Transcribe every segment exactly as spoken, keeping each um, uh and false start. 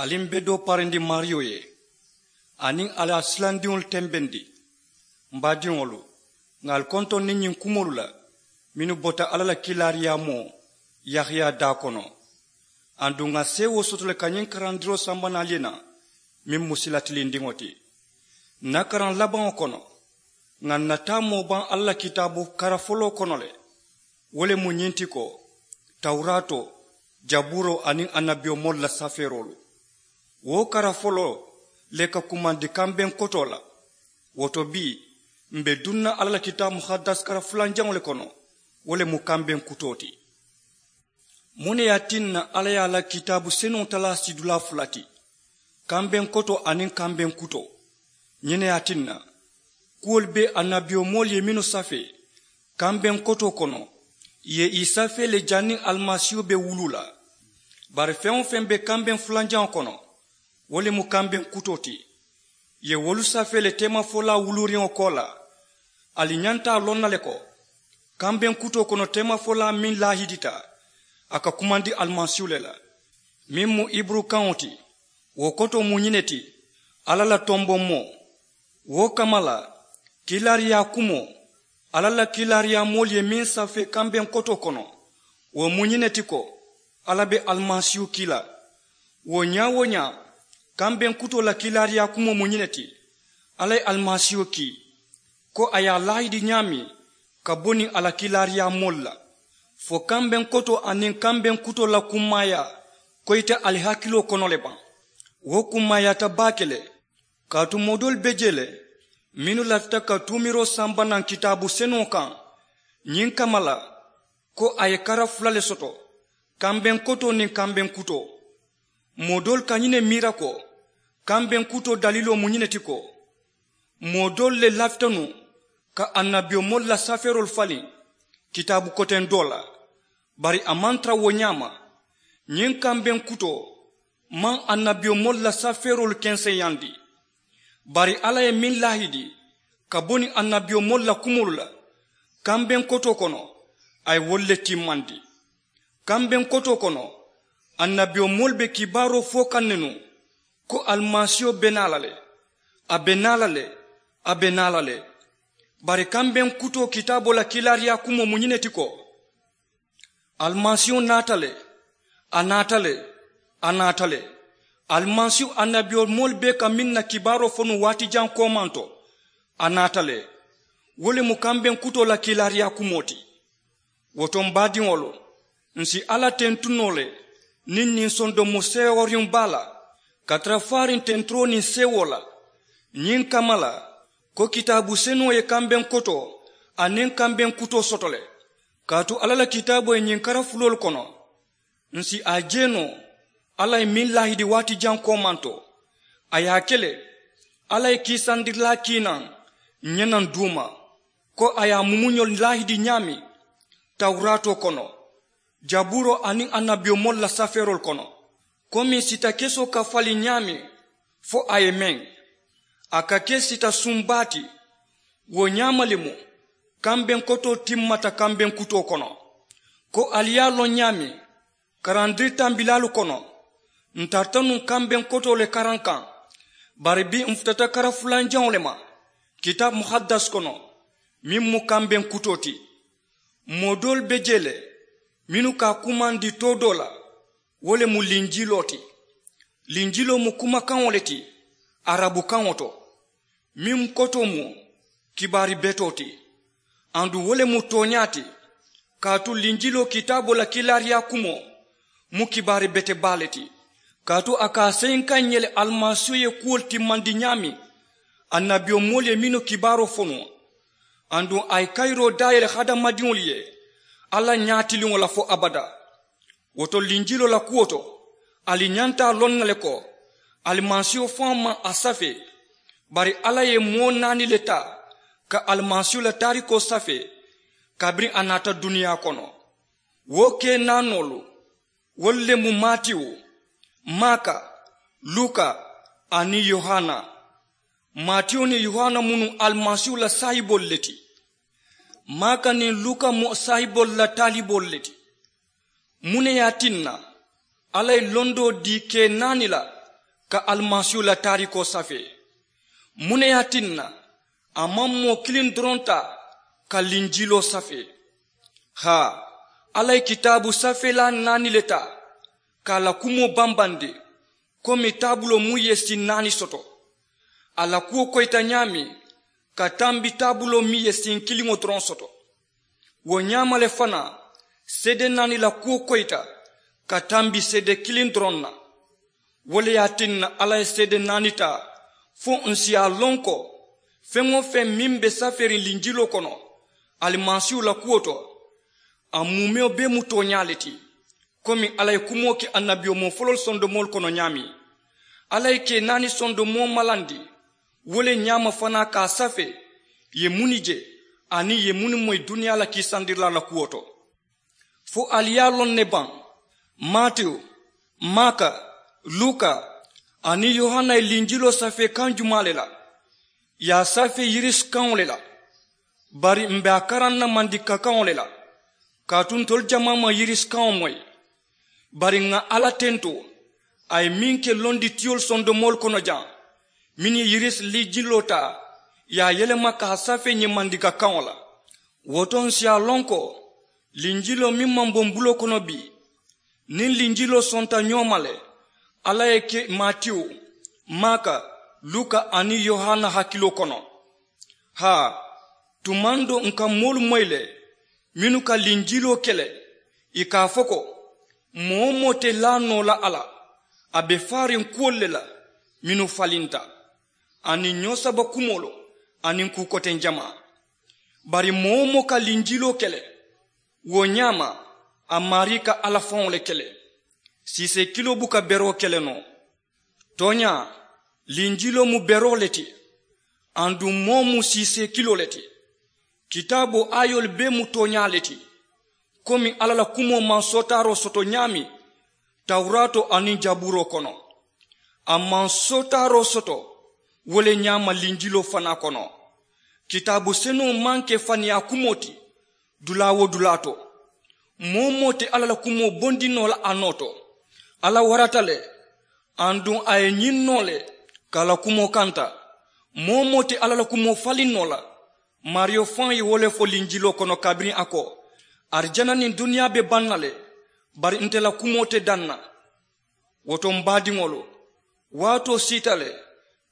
Ali m be doo parindi maariyo ye, aniŋ a la silandiŋolu tembendi. M baadiŋolu, ŋà ali kontondi ñiŋ kumoolu la mennu bota alla la kiilaariyaamoo yahaya daa kono. Aduŋ ŋà seewoo soto le ka ñiŋ karandiroo samba naŋ ali ye naŋ, meŋ mu sila tilindiŋo ti. N na karaŋ labaŋo kono, ŋà n na taamoo baŋ alla la kitaabu kara foloo kono le. Wo le mu ñiŋ ti ko, tawuraatoo, jabuuroo aniŋ annabiyomoolu la safeeroolu. Wo kara foloo le ka kumandi kambeŋ kotoo la. Wo to bii, m be duŋ na alla la kitaabu muhaddas kara fulanjaŋo le kono. Wo le mu kambeŋ kutoo ti. Muŋ ne ye a tinna alla ye a la kitaabu senuŋo talaa sidulaa fula ti, kambeŋ kotoo aniŋ kambeŋ kutoo? Ñiŋ ne ye a tinna kuwolu be annabiyomoolu ye mennu safee kambeŋ kotoo kono, ì ye ì safee le janniŋ alimasiihu be wuluu la. Bari feŋ-wo-feŋ be kambeŋ fulanjaŋo kono, wo le mu kambeŋ kutoo ti. Ì ye wolu safee le teemafolaa wuluuriŋo koolaa. Ali ñanta a loŋ na le ko, kambeŋ kutoo kono teemafolaa meŋ laahidita, a ka kumandi alimasiihu le la, meŋ mu hiburukaŋo ti. Wo kotoo mu ñiŋ ne ti, alla la tombommoo. Wo kamma la, kiilaariyaa kumoo, alla la kiilaariyaamoolu ye meŋ safee kambeŋ kotoo kono, wo mu ñiŋ ne ti ko, alla be alimasiihu kii la. Wo ñaa-wo-ñaa, kambeŋ kutoo la kiilaariyaa kumoo mu ñiŋ ne ti, alla ye alimasiihu kii, ko a ye a laahidi ñaameŋ ka bo niŋ a la kiilaariyaamoolu la, fo kambeŋ kotoo aniŋ kambeŋ kutoo la kummaayaa koyita ali hakiloo kono le baŋ. Wo kummaayaata baake le. Kaatu moo doolu be jee le, mennu lafita ka tuumiroo samba naŋ kitaabu senuŋo kaŋ ñiŋ kamma la, ko a ye kara fula le soto, kambeŋ kotoo niŋ kambeŋ kutoo. Moo doolu ka ñiŋ ne miira ko, kambeŋ kutoo daliloo mu ñiŋ ne ti ko, moo doolu le lafita nuŋ ka annabiyomoolu la safeeroolu faliŋ kitaabu koteŋ doo la. Bari a maŋ tara wo ñaama. Ñiŋ kambeŋ kutoo maŋ annabiyomoolu la safeeroolu kenseyaandi. Bari alla ye meŋ laahidi ka bo niŋ annabiyomoolu la kumoolu la kambeŋ kotoo kono, a ye wolu le timmandi. Kambeŋ kotoo kono, annabiyomoolu be kibaaroo fo kaŋ ne nuŋ, ko alimasiiho be naa la le, a be naa la le, a be naa la le. Bari kambeŋ kutoo kitaaboo la kiilaariyaa kumoo mu ñiŋ ne ti ko, alimasiiho naata le, a naata le, a naata le. Alimasiiho annabiyomoolu bee ka meŋ na kibaaroo fo nuŋ waati jaŋ koomaŋ to, a naata le. Wo le mu kambeŋ kutoo la kiilaariyaa kumoo ti. Wo to m baadiŋolu, ǹ si alla tentu noo le niŋ ñiŋ sondomo seeworiŋ baa la, ka tara faariŋ tenturoo niŋ seewoo la. Ñiŋ kamma la, ko kitaabu senuŋo ye kambeŋ kotoo aniŋ kambeŋ kutoo soto le. Kaatu alla la kitaaboo ye ñiŋ kara fuloolu kono, ǹ si a je noo alla ye meŋ laahidi waati jaŋ koomaŋ to. A ye a ke le, alla ye kiisandirilaa kii naŋ ǹ ye naŋ duuma, ko a ye a mumuñolu laahidi ñaameŋ tawuraatoo kono, jabuuroo aniŋ annabiyomoolu la safeeroolu kono, ko meŋ sita kesoo ka faliŋ ñaameŋ fo a ye meŋ, a ka ke sita suŋ baa ti. Wo ñaama le mu kambeŋ kotoo timmata kambeŋ kutoo kono. Ko ali ye a loŋ ñaameŋ, karandiri tambilaalu kono, ǹ tarata nuŋ kambeŋ kotoo le karaŋ kaŋ. Bari bii ǹ futata kara fulanjaŋo le ma kitaabu muhaddas kono, meŋ mu kambeŋ kutoo ti. Moo doolu be jee le mennu ka a kumandi too doo la, wo le mu linjiloo ti. Linjiloo mu kumakaŋo le ti arabukaŋo to, meŋ kotoo mu kibaari betoo ti. Aduŋ wo le mu tooñaa ti, kaatu linjiloo kitaaboo la kiilaariyaa kumoo mu kibaari bete baa le ti. Kaatu a ka a seyinkaŋ ǹ ye le alimasiihu ye kuwolu timmandi ñaameŋ annabiyomoolu ye mennu kibaaroo fo nuŋ, aduŋ a ye kayiroo daayele hadamadiŋolu ye alla ñaatiliŋo la fo abadaa. Wo to linjiloo la kuwo to, ali ñanta a loŋ na le ko alimasiiho faŋo maŋ a safee. Bari alla ye moo naani le taa ka alimasiiho la taarikoo safee kabiriŋ a naata duniyaa kono. Wo kee naanoolu, wolu le mu matiyu, maaka, luka, aniŋ yohana. Matiyu niŋ yohana mu nuŋ alimasiiho la saahiboolu le ti. Maaka niŋ luka mu saahiboolu la taaliboolu le ti. Muŋ ne ye a tinna alla ye londoo dii kee naani la ka alimasiihu la taarikoo safee. Muŋ ne ye a tinna a maŋ moo kiliŋ doroŋ taa ka linjiloo safee? Haa, alla ye kitaabu safeelaa naani le taa ka a la kumoo bambandi, komi taabuloo muŋ ye siŋ naani soto. A la kuwo koyita ñaameŋ ka tambi taabuloo meŋ ye siŋ kiliŋo doroŋ soto. Wo ñaama le fanaa, seede naani la kuwo koyita ka tambi seede kiliŋ doroŋ na. Wo le ye a tinna alla ye seede naani taa fo ǹ si a loŋ ko feŋ-wo-feŋ meŋ be safeeriŋ linjiloo kono alimasiihu la kuwo to, a muumewo bee mu tooñaa le ti. Komi alla ye kumoo ke annabiyomoo foloolu sondomoolu kono ñaameŋ, alla ye kee naani sondomoo malandi wo le ñaama fanaa ka a safee ì ye munnu je aniŋ ì ye munnu moyi duniyaa la kiisandirilaa la kuwo to. Fo ali ye a loŋ ne baŋ? Matiyu, maaka, luka, aniŋ yohana ye linjiloo safee kaŋ jumaa le la? Ì ye a safee yirisi kaŋo le la. Bari m̀ be a karaŋ na mandinka kaŋo le la, kaatu ntolu jamaa maŋ yirisi kaŋo moyi. Bari ŋà alla tentoo a ye meŋ ke londitiyolu sondomoolu kono jaŋ, mennu ye yirisi linjiloo taa ì ye a yelema ka a safee ñiŋ mandinka kaŋo la. Wo to ǹ si a loŋ ko linjiloo meŋ maŋ bo m̀ buloo kono bii, niŋ linjiloo sonta ñoo ma le alla ye ke matiyu, maaka, luka, aniŋ yohana hakiloo kono. Haa, tumaŋ doo ǹ ka moolu moyi le mennu ka linjiloo ke le, ì ka a fo ko moo-wo-moo te laa noo la a la, a be faariŋ kuwolu le la mennu falinta, aniŋ ñoo saba kumoolu, aniŋ kuu koteŋ jamaa. Bari moo-wo-moo ka linjiloo ke le, wo ñaama a maarii ka alla faŋo le ke le. Siisee kiloo buka beroo ke le noo. Tooñaa, linjiloo mu beroo le ti, aduŋ moo mu siisee kiloo le ti. Kitaaboo aayoolu bee mu tooñaa le ti, komi alla la kumoo maŋ sootaaroo soto ñaameŋ tawuraatoo aniŋ jabuuroo kono. A maŋ sootaaroo soto wo le ñaama linjiloo fanaa kono. Kitaabu senuŋo maŋ ke faniyaa kumoo ti dulaa-wo-dulaa to. Moo-wo-moo te alla la kumoo bondi noo la a noo to. Alla warata le, aduŋ a ye ñiŋ noo le ka a la kumoo kanta. Moo-wo-moo te alla la kumoo faliŋ noo la. Maariyo faŋo ye wo le fo linjiloo kono kabiriŋ a ko arijana niŋ duniyaa be baŋ na le, bari nte la kumoo te daŋ na. Wo to m̀ baadiŋolu, waatoo siita le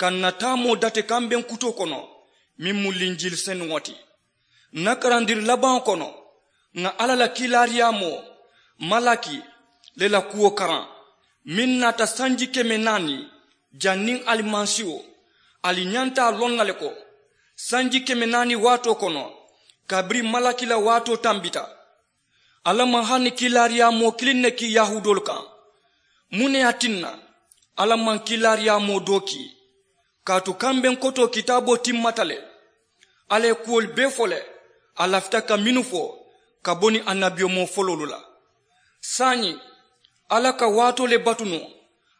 ka ǹ na taamoo dati kambeŋ kutoo kono meŋ mu linjili senuŋo ti. Ǹ na karandiri labaŋo kono ŋà alla la kiilaariyaamoo malaki le la kuwo karaŋ, meŋ naata sanji keme naani. Janniŋ alimasiiwo, ali ñanta a loŋ na le ko sanji keme naani waatoo kono, kabiriŋ malaki la waatoo tambita, alla maŋ hani kiilaariyaamoo kiliŋ ne kii yahuudoolu kaŋ. Muŋ ne ye a tinna alla maŋ kiilaariyaamoo doo kii? Kaatu kambeŋ kotoo kitaaboo timmata le. Alla ye kuwolu bee fo le a lafita ka mennu fo ka bo niŋ annabiyomoo foloolu la. Saayiŋ, alla ka waatoo le batu nuŋ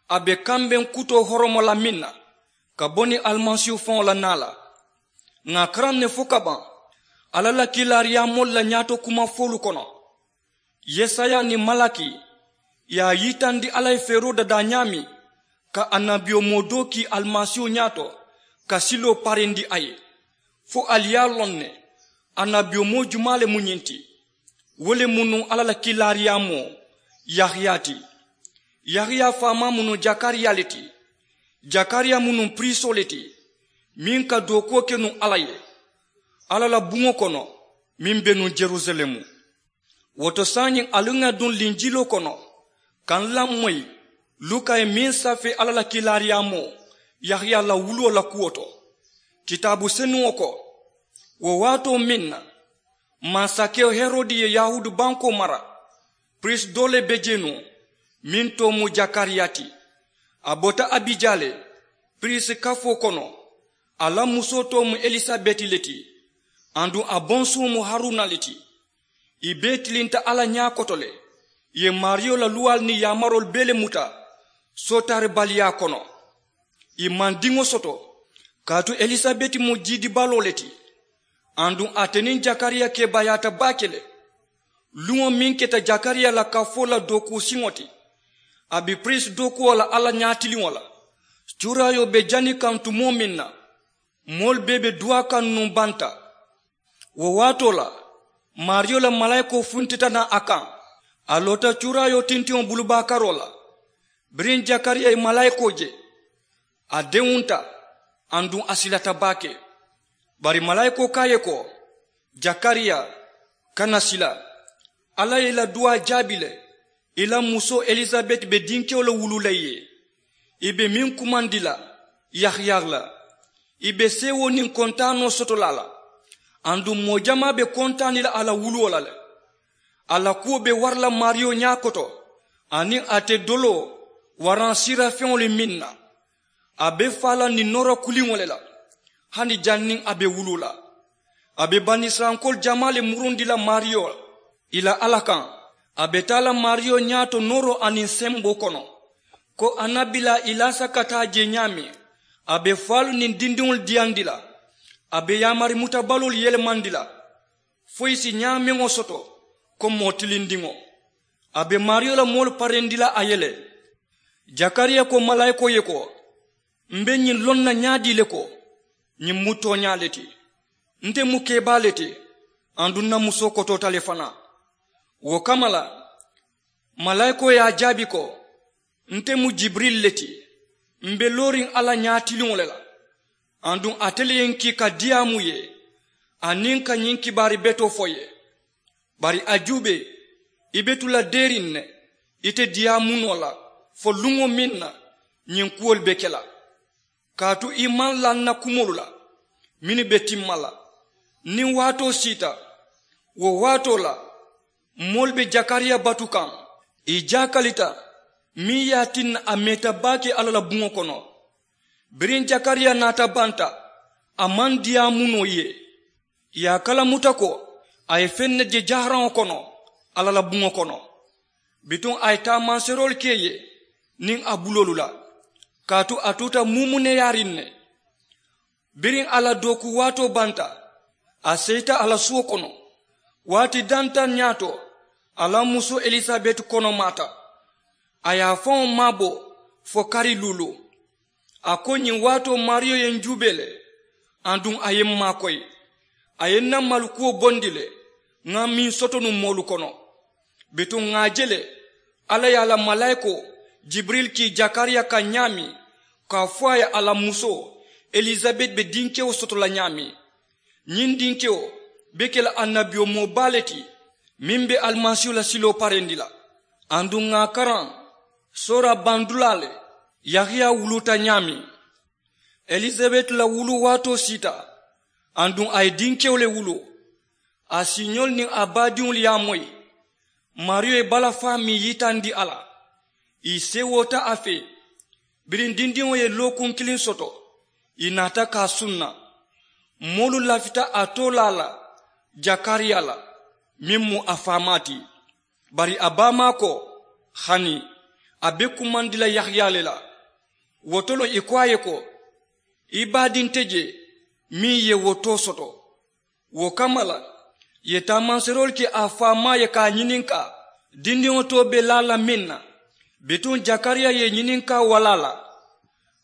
a be kambeŋ kutoo horomo la meŋ na ka bo niŋ alimasiihu faŋo la naa la. Ŋà a karaŋ ne fo ka baŋ alla la kiilaariyaamoolu la ñaato kuma foolu kono. Yesaya niŋ malaki ye a yitandi alla ye feeroo dadaa ñaameŋ ka annabiyomoo doo kii alimasiihu ñaato ka siloo parendi a ye. Fo ali ye a loŋ ne annabiyomoo jumaa le mu ñiŋ ti? Wo le mu nuŋ alla la kiilaariyaamoo yahiya ti. Yahiya faamaa mu nuŋ jakariya le ti. Jakariya mu nuŋ piriisoo le ti meŋ ka dookuwo ke nuŋ alla ye alla la buŋo kono meŋ be nuŋ jerusalemu. Wo to saayiŋ ali ŋà duŋ linjiloo kono ka n lamoyi luka ye meŋ safee alla la kiilaariyaamoo yahiya la wuloo la kuwo to. Kitaabu senuŋo ko wo waatoo meŋ na mansakewo herodi ye yahuudu bankoo mara, piriisi doo le be jee nuŋ meŋ too mu jakariya ti. A bota abijaa le piriisi kafoo kono. A la musoo too mu elisabeti le ti aduŋ a bonsuŋo mu haruna le ti. Ì bee tilinta alla ñaa koto le. Ì ye maariyo la luwaalu niŋ yaamaroolu bee le muta sootaaribaliyaa kono. Ì maŋ diŋo soto kaatu elisabeti mu jiidibaloo le ti. Aduŋ ate niŋ jakariya keebaayaata baake le. Luŋo meŋ keta jakariya la kafoo la dookuu siŋo ti, a be piriisi dookuwo la alla ñaatiliŋo la. Cuuraayoo be jani kaŋ tumoo meŋ na, moolu bee be duwaa kaŋ nuŋ banta. Wo waatoo la, maariyo la malaayikoo funtita naŋ a kaŋ. A loota cuuraayoo tintiŋo bulubaakaroo la. Biriŋ jakariya ye malaayikoo je, a dewunta, aduŋ a silata baake. Bari malaayikoo ko a ye ko, jakariya, kana sila. Alla ye i la duwaa jaabi le. I la musoo elisabeti be dinkewo le wuluu la i ye. I be meŋ kumandi la, yahaya la. I be seewoo niŋ kontaanoo soto la a la. Aduŋ moo jamaa be kontaani la a la wuluwo la le. A la kuwo be wara la maariyo ñaakoto, aniŋ a te doloo waraŋ siira feŋolu meŋ na. A be faa la niŋ noora kuliŋo le la, hani janniŋ a be wuluu la. A be banisirayilankoolu jamaa le murundi la maariyo la, i la alla kaŋ. A be taa la maariyo ñaato nooroo aniŋ semboo kono, ko a na bilaa i laasa ka taa jee ñaameŋ. A be faalu niŋ dindiŋolu diyandi la. A be yaamari mutabaloolu yelemandi la, fo i si ñaameŋo soto ko moo tilindiŋo. A be maariyo la moolu parendi la a ye le. Jakariya ko malaayikoo ye ko, m be ñiŋ loŋ na ñaadii le ko, ñiŋ mu tooñaa le ti. Nte mu kebaa le ti, aduŋ n na musoo kotoota le fanaa. Wo kamma la, malaayikoo ye a jaabi ko, nte mu jibirili le ti. M be looriŋ alla ñaatiliŋo le la, aduŋ ate le ye n kii ka diyaamu i ye, aniŋ ka ñiŋ kibaari betoo fo i ye. Bari a juubee, i be tu la deeriŋ ne, i te diyaamu noo la fo luŋo meŋ na ñiŋ kuwolu be ke la. Kaatu i maŋ laa n na kumoolu la mennu be timma la. Niŋ waatoo siita, wo waatoo la, moolu be jakariya batu kaŋ, i jaakalita, meŋ ye a tinna a meeta baake alla la buŋo kono. Biriŋ jakariya naata banta, a maŋ diyaamu noo i ye. I ye a kalamuta ko a ye feŋ ne je jaharaŋo kono alla la buŋo kono. Bituŋ a ye taamanseeroolu ke i ye niŋ a buloolu la, kaatu a tuuta muumuneyaariŋ ne. Biriŋ a la dookuu waatoo banta, a seyita a la suwo kono. Waati dantaŋ ñaato, a la musoo elisabeti konomaata. A ye a faŋo maabo fo kari luulu. A ko, ñiŋ waatoo maariyo ye n juubee le, aduŋ a ye n maakoyi. A ye n na malukuwo bondi le, ŋa meŋ soto nuŋ moolu kono. Bituŋ ŋà a je le, alla ye a la malaayikoo jibirili kii jakariya kaŋ ñaameŋ, ka a fo a ye a la musoo elisabeti be dinkewo soto la ñaameŋ. Ñiŋ dinkewo be ke la annabiyomoo baa le ti, meŋ be alimasiihu la siloo parendi la. Aduŋ ŋà a karaŋ soora bandulaa le, yahaya wuluuta ñaameŋ. Elisabeti la wuluu waatoo siita, aduŋ a ye dinkewo le wuluu. A siiñoolu niŋ a baadiŋolu ye a moyi. Maariyo ye balafaa meŋ yitandi a la, ì seewoota a fee. Biriŋ dindiŋo ye lookuŋ kiliŋ soto, ì naata ka a sunna. Moolu lafita a toolaa la jakariya la, meŋ mu a faamaa ti. Bari a baamaa ko, hani a be kumandi la yahaya le la. Wo to loŋ ì ko a ye ko, i baadiŋ te jee meŋ ye wo too soto. Wo kamma la, ì ye taamanseeroolu ke a faamaa ye ka a ñininkaa dindiŋo too be laa la meŋ na. Bituŋ jakariya ye ñininkaa walaa la,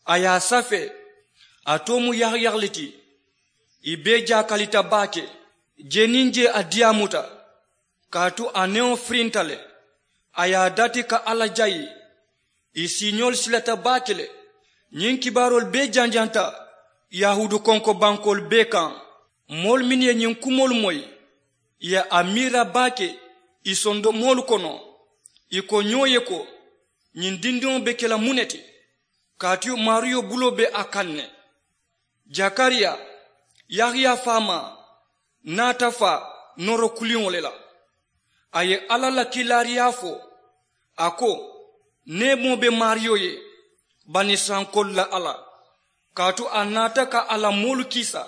a ye a safee. A too mu yahaya le ti. Ì bee jaakalita baake. Jee niŋ jee a diyaamuta, kaatu a newo firinta le. A ye a dati ka alla jayi. Ì siiñoolu silata baake le. Ñiŋ kibaaroolu bee janjanta yahuudu konkobankoolu bee kaŋ. Moolu mennu ye ñiŋ kumoolu moyi, ì ye a miira baake ì sondomoolu kono. Ì ko ñoo ye ko, ñiŋ dindiŋo be ke la muŋ ne ti? Kaatu maariyo buloo be a kaŋ ne. Jakariya, yahaya faamaa, naata faa nooro kuliŋo le la. A ye alla la kiilaariyaa fo. A ko, neemoo be maariyo ye, banisirayilankoolu la alla. Kaatu a naata ka a la moolu kiisa.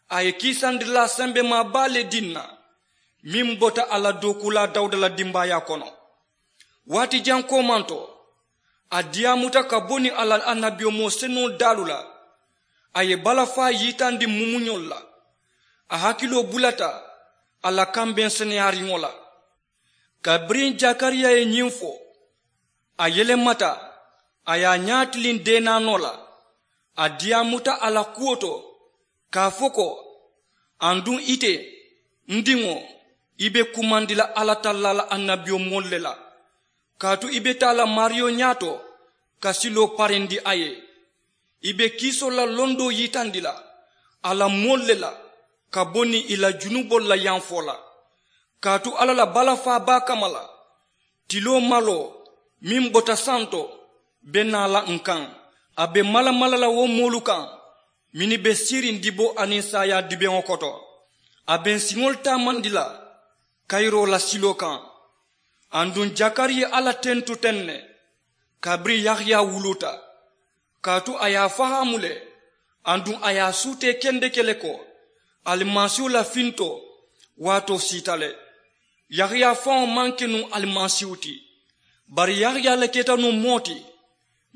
A ye kiisandilaa sembemaa baa le dii ǹ na, meŋ bota a la dookuulaa dawuda la dimbaayaa kono. Waati jaŋ koomanto, a diyaamuta ka bo niŋ a la annabiyomoo senuŋo daalu la. A ye balafaa yitandi mumuñolu la. A hakiloo bulata a la kambeŋ seneyaariŋo la. Kabiriŋ jakariya ye ñiŋ fo, a yelemata, A ye a ñaatiliŋ deenaanoo la. A diyaamuta a la kuwo to ka a fo ko, aduŋ ite, n diŋo, i be kumandi la alla tallaa la annabiyomoolu le la. Kaatu i be taa la maariyo ñaato ka siloo parendi a ye. I be kiisoo la londoo yitandi la a la moolu le la ka bo niŋ i la junuboolu la yamfoo la. Kaatu alla la balafaa baa kamma la, tiloo maloo meŋ bota santo be naa la ǹ kaŋ. A be malamala la wo moolu kaŋ mennu be siiriŋ diboo aniŋ saayaa dibeŋo koto. A be ǹ siŋolu taamandi la kayiroo la siloo kaŋ. Aduŋ jakari ye alla tentu teŋ ne kabiriŋ yahaya wuluuta. Kaatu a ye a fahaamu le, aduŋ a ye a suutee kendeke le ko alimasiihu la fintoo waatoo siita le. Yahaya faŋo maŋ ke nuŋ alimasiihu ti, bari yahaya le keta nuŋ moo ti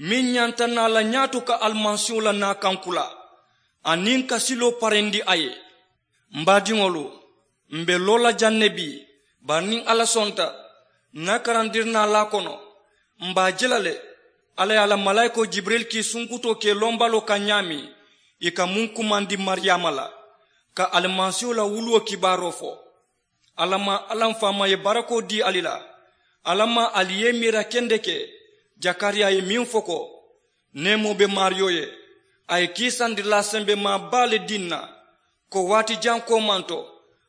meŋ ñanta naa la ñaato ka alimasiihu la naa kankula aniŋ ka siloo parendi a ye. M baadiŋolu, m be loo la jaŋ ne bii, bari niŋ alla sonta, n na karandirinaalaa kono, m be a je la le alla ye a la malaayikoo jibiril kii sunkutoo ke i lombaloo kaŋ ñaameŋ i ka muŋ kumandi mariyaama la ka alimasiihu la wuluwo kibaaroo fo. Alla maŋ alla m faama ye barakoo dii ali la. Alla maŋ ali ye i miira kendeke jakariya ye meŋ fo ko, neemoo be maariyo ye, a ye kiisandirilaa sembemaa baa le dii n na, ko waati jaŋ koomanto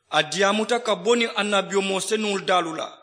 a diyaamuta ka bo niŋ annabiyomoo senuŋolu daalu la.